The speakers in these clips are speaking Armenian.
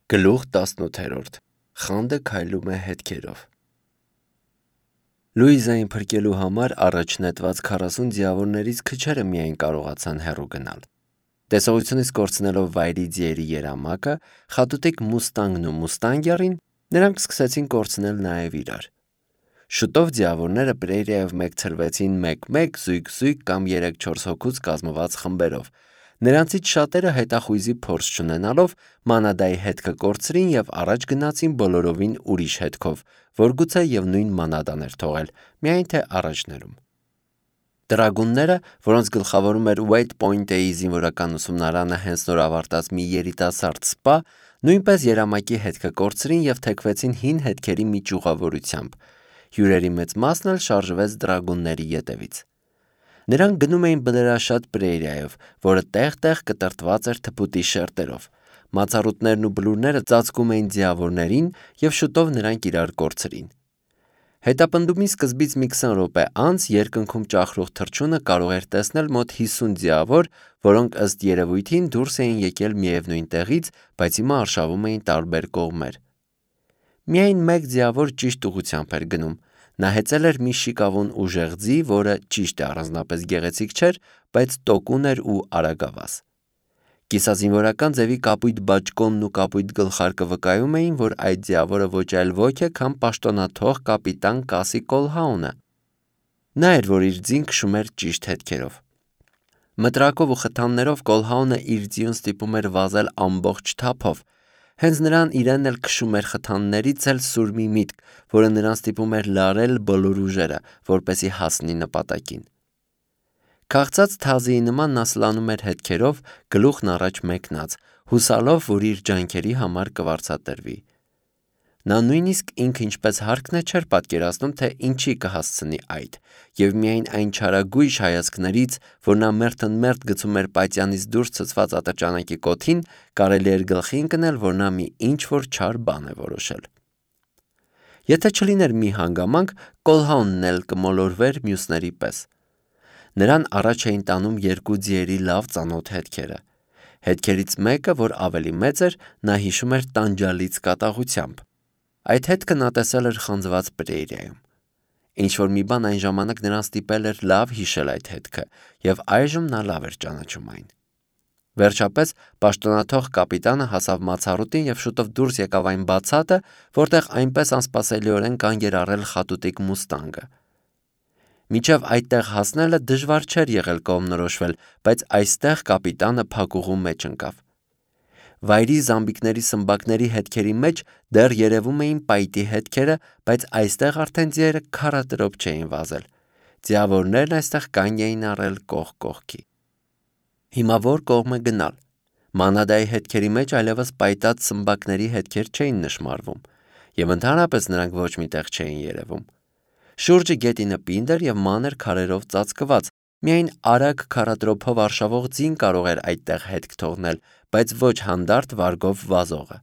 Գլուխ 18 Խանդը քայլում է հետքերով Լուիզային փրկելու համար առաջ նետված 40 ձիավորներից քչերը միայն կարողացան հեռու գնալ։ Տեսողությունից կորցնելով վայրի ձիերի երամակը, խատուտիկ մուստանգն ու մուստանգյարին, նրանք սկսեցին կորցնել նաև իրար։ Շուտով ձիավորները Պրերիայով մեկցրվեցին 1-1, զույգ-զույգ կամ 3-4 հոգուց կազմված խմբերով։ Նրանցից շատերը հետախույզի փորձ չունենալով մանադայի հետքը կորցրին և առաջ գնացին բոլորովին ուրիշ հետքով, որ գուցե և նույն մանադան էր թողել, միայն թե առաջներում։ Տրագունները, որոնց գլխավորում էր Wade Point-ի զինվորական ուսումնարանը հենց նոր ավարտած մի երիտասարդ սպա, նույնպես երամակի հետքը կորցրին և թեքվեցին հին հետքերի մի ճյուղավորությամբ։ Հյուրերի մեծ մասն էլ շարժվեց տրագունների ետևից։ Նրանք գնում էին բլրաշատ Պրերիայով, որը տեղ-տեղ կտրտված էր թփուտի շերտերով։ Մացառուտներն ու բլուրները ծածկում էին ձիավորներին և շուտով նրանք իրար կորցրին։ Հետապնդումի սկզբից մի 20 րոպե անց երկնքում ճախրող թռչունը կարող էր տեսնել մոտ 50 ձիավոր, որոնք ըստ երևույթին դուրս էին եկել միևնույն տեղից, բայց հիմա արշավում էին տարբեր կողմեր։ Միայն մեկ ձիավոր ճիշտ ուղղությամբ էր գնում։ Նա հեծել էր մի շիկավուն ուժեղ ձի, որը ճիշտ է առանձնապես գեղեցիկ չէր, բայց տոկուն էր ու արագավազ։ Կիսազինվորական ձևի կապույտ բաճկոնն ու կապույտ գլխարկը վկայում էին, որ այդ ձիավորը ոչ այլ ոք է, քան պաշտոնաթող կապիտան Կասի Կոլհաունը։ Նա էր, որ իր ձին քշում էր ճիշտ հետքերով։ Մտրակով ու խթաններով Կոլհաունը իր ձիուն ստիպում էր վազել ամբողջ թափով։ Հենց նրան իրեն էլ քշում էր խթաններից էլ սուր մի միտք, որը նրան ստիպում էր լարել բոլոր ուժերը, որպեսզի հասնի նպատակին։ Քաղցած թազիի նման նա սլանում էր հետքերով, գլուխն առաջ մեկնած, հուսալով, որ իր ջանքերի համար կվարձատրվի։ Նա նույնիսկ ինքը ինչպես հարկն է չէր պատկերացնում, թե ինչի կհասցնի այդ, և միայն այն չարագույժ հայացքներից, որ նա մերթըմերթ գցում էր պատյանից դուրս ցցված ատրճանակի կոթին, կարելի էր գլխի ընկնել, որ նա մի ինչ-որ չար բան է որոշել։ Եթե չլիներ մի հանգամանք, Կոլհաունն էլ կմոլորվեր մյուսների պես։ Նրան առաջ էին տանում երկու ձիերի լավ ծանոթ հետքերը։ Հետքերից մեկը, որ ավելի մեծ էր, նա հիշում էր տանջալից կատաղությամբ։ Այդ հետքը նա տեսել էր խանձված Պրերիայում։ Ինչ-որ մի բան այն ժամանակ նրան ստիպել էր լավ հիշել այդ հետքը, և այժմ նա լավ էր ճանաչում այն։ Վերջապես պաշտոնաթող կապիտանը հասավ մացառուտին և շուտով դուրս եկավ այն բացատը, որտեղ այնպես անսպասելիորեն կանգ էր առել խատուտիկ մուստանգը։ Մինչև այդտեղ հասնելը դժվար չէր եղել կողմնորոշվել, բայց այստեղ կապիտանը փակուղու մեջ ընկավ։ Վայրի զամբիկների սմբակների հետքերի մեջ դեռ երևում էին պայտի հետքերը, բայց այստեղ արդեն ձիերը քառատրոպ չէին վազել։ Ձիավորներն այստեղ կանգ էին առել կողք կողքի։ Հիմա որ կողմը գնալ։ Մանադայի հետքերի մեջ այլևս պայտած սմբակների հետքեր չէին նշմարվում, և ընդհանրապես նրանք ոչ մի տեղ չէին երևում։ Շուրջը գետինը պինդ էր և մանր քարերով ծածկված, միայն արագ քառատրոփով արշավող ձին կարող էր այդտեղ հետք թողնել, բայց ոչ հանդարտ վարգով վազողը։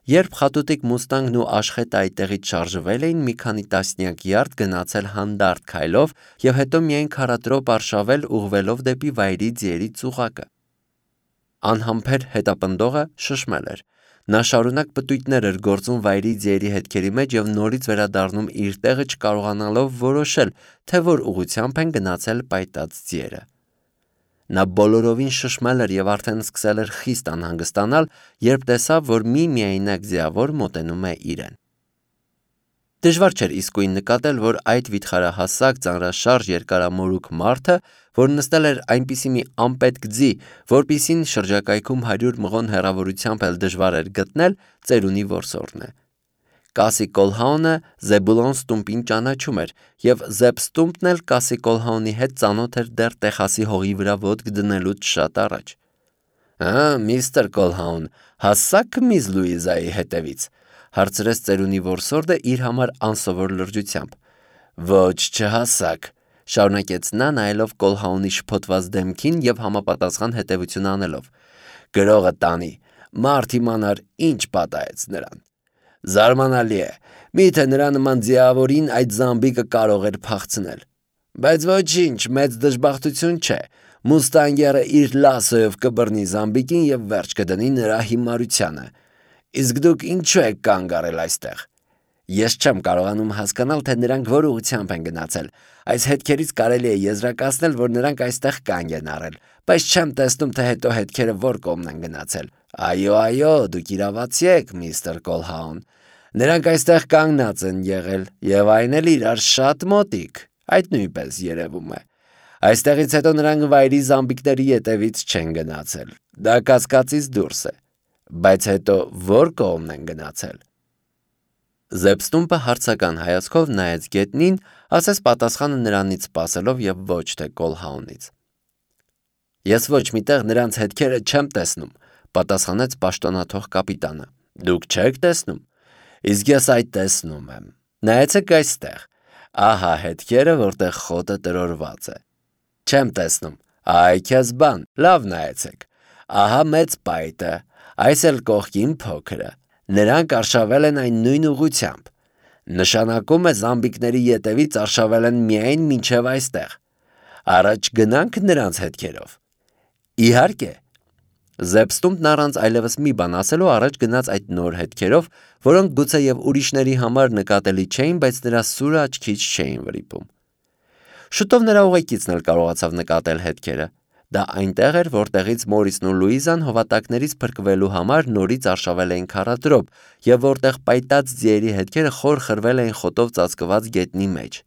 Երբ խատուտիկ մուստանգն ու աշխետը այդտեղից շարժվել էին, մի քանի տասնյակ յարդ գնացել հանդարտ քայլով և հետո միայն քառատրոփ արշավել ուղղվելով դեպի վայրի ձիերի ծուղակը։ Անհամբեր հետապնդողը շշմել էր։ Նա շարունակ պտույտներ էր գործում վայրի ձիերի հետքերի մեջ և նորից վերադառնում իր տեղը չկարողանալով որոշել, թե որ ուղղությամբ են գնացել պայտած ձիերը։ Նա բոլորովին շշմել էր և արդեն սկսել էր խիստ անհանգստանալ, երբ տեսավ, որ մի միայնակ ձիավոր մոտենում է իրեն։ Դժվար չէր իսկույն նկատել, որ այդ վիթխարահասակ, ծանրաշարժ երկարամորուք մարդը, որ նստել էր այնպիսի մի անպետք ձի, որպիսին շրջակայքում 100 մղոն հեռավորությամբ էլ դժվար էր գտնել, ծերունի որսորդն է։ Կասի Կոլհաունը Զեբուլոն Ստումպին ճանաչում էր, և Զեբ Ստումպն էլ Կասի Կոլհաունի հետ ծանոթ էր դեռ Տեխասի հողի վրա ոտք դնելուց շատ առաջ։ Միստր Կոլհաուն, հասա՞ք միզ Լուիզայի հետևից, հարցրեց ծերունի որսորդը իր համար անսովոր լրջությամբ։ Ոչ, չհասաք, շարունակեց նա, նայելով Կոլհաունի շփոթված դեմքին և համապատասխան հետևություն անելով։ Գրողը տանի, մարդ իմանար ինչ պատահեց նրան։ Զարմանալի է, միթե նրա նման ձիավորին այդ զամբիկը կարող էր փախցնել։ Բայց ոչինչ, մեծ դժբախտություն չէ, մուստանգերը իր լասոյով կբռնի զամբիկին և վերջ կդնի նրա հիմարությանը։ Իսկ դուք ինչու եք կանգ առել այստեղ։ Ես չեմ կարողանում հասկանալ, թե նրանք որ ուղղությամբ են գնացել։ Այս հետքերից կարելի է եզրակացնել, որ նրանք այստեղ կանգ են առել, բայց չեմ տեսնում, թե հետո հետքերը որ կողմն են գնացել։ Այո, դուք իրավացի եք, միստր Կոլհաուն։ Նրանք այստեղ կանգնած են եղել, եւ այն էլ իրար շատ մոտիկ։ Այդ նույնպես երևում է։ Այստեղից հետո նրանք վայրի զամբիկների ետևից չեն գնացել։ Դա կասկածից դուրս է։ Բայց հետո որ կողմն են գնացել։ Զեբստումպը հարցական հայացքով նայեց գետնին, ասես պատասխանը նրանից սպասելով եւ ոչ թե Կոլհաունից։ Ես ոչ միտեղ նրանց հետքերը չեմ տեսնում, պատասխանեց պաշտոնաթող կապիտանը։ Դուք չեք տեսնում։ Իսկ ես այդ տեսնում եմ։ Նայեցեք այստեղ։ Ահա հետքերը, որտեղ խոտը տրորված է։ Չեմ տեսնում։ Այ քեզ բան, լավ նայեցեք։ Ահա մեծ պայտը, այս էլ կողքին փոքրը։ Նրանք արշավել են այն նույն ուղղությամբ։ Նշանակում է զամբիկների ետևից արշավել են միայն մինչև այստեղ։ Առաջ գնանք նրանց հետքերով։ Իհարկե։ Զեբստումպն առանց այլևս մի բան ասելու առաջ գնաց այդ նոր հետքերով, որոնք գուցե եւ ուրիշների համար նկատելի չէին, բայց նրա սուրը աչքից չէին վրիպում։ Շուտով նրա ուղեկիցն էլ կարողացավ նկատել հետքերը։ Դա այնտեղ էր, որտեղից Մորիսն ու Լուիզան հովատակներից փրկվելու համար նորից արշավել էին քարադրոբ, եւ որտեղ պայտած ձիերի հետքերը խոր խրվել էին խոտով ծածկված գետնի մեջ։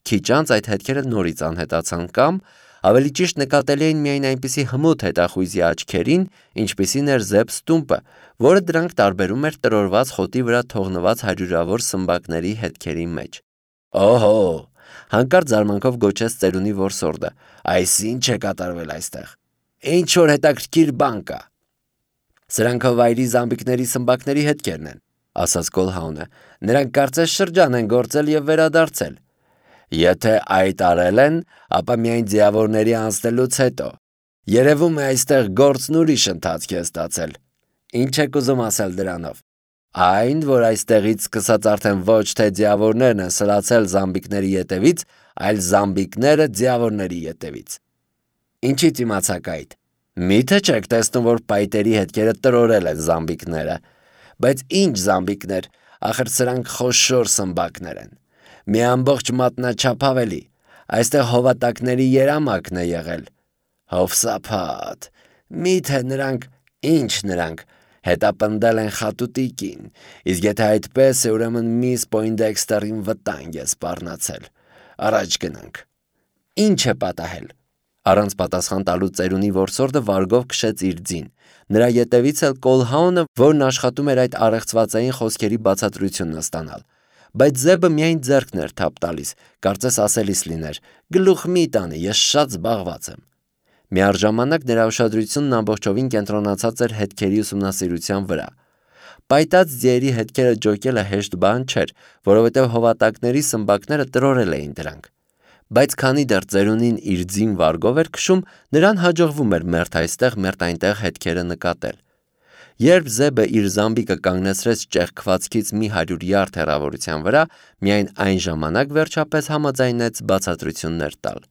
Քիչ անց այդ հետքերը նորից անհետացան կամ, ավելի ճիշտ նկատելի էին միայն այնպիսի հմուտ հետախույզի աչքերին, ինչպիսին էր Զեբստումպը, որը դրանք տարբերում էր տրորված խոտի վրա թողնված հարյուրավոր սմբակների հետքերի մեջ։ Օհո, հանկարծ զարմանքով գոչեց ծերունի որսորդը։ Այս ինչ է կատարվել այստեղ։ Ինչ որ հետաքրքիր բան կա։ Սրանք վայրի զամբիկների սմբակների հետքերն են, ասաց Կոլհաունը։ Նրանք կարծես շրջան են գործել եւ վերադարձել։ Եթե այդ արել են, ապա միայն ձիավորների անցնելուց հետո։ Երևում է այստեղ գործն ուրիշ ընթացք է ստացել։ Ինչ եք ուզում ասել դրանով։ Այն, որ այստեղից սկսած արդեն ոչ թե ձիավորներն են սլացել զամբիկների ետևից, այլ զամբիկները ձիավորների ետևից։ Ինչից իմացաք այդ։ Միթե չեք տեսնում, որ պայտերի հետքերը տրորել են զամբիկները։ Բայց ինչ զամբիկներ, ախր սրանք խոշոր սմբակներ են։ Մի ամբողջ մատնաչափ ավելի։ Այստեղ հովատակների երամակն է եղել։ Հովսափատ։ Միթե նրանք հետապնդել են խատուտիկին, իսկ եթե այդպես է, ուրեմն միս Պոյնդեքստերին վտանգ է սպառնացել։ Առաջ գնանք։ Ինչ է պատահել։ Առանց պատասխան տալու ծերունի որսորդը վարգով քշեց իր ձին։ Նրա ետևից էլ Կոլհաունը, որն աշխատում էր այդ առեղծվածային խոսքերի բացատրությունն ստանալ։ Բայց Զեբը միայն ձեռքն էր թափ տալիս, կարծես ասելիս լիներ. գլուխ մի տանի, ես շատ զբաղված եմ։ Միառժամանակ նրա ուշադրությունն ամբողջովին կենտրոնացած էր հետքերի ուսումնասիրության վրա։ Պայտած ձիերի հետքերը ջոկելը հեշտ բան չէր, որովհետև հովատակների սմբակները տրորել էին դրանք։ Բայց քանի դեռ ծերունին իր ձին վարգով էր քշում, նրան հաջողվում էր մերթ այստեղ, մերթ այնտեղ հետքերը նկատել։ Երբ Զեբը իր զամբիկը կանգնեցրեց ճեղքվածքից մի 100 յարդ հեռավորության վրա, միայն այն ժամանակ վերջապես համաձայնեց բացատրություններ տալ։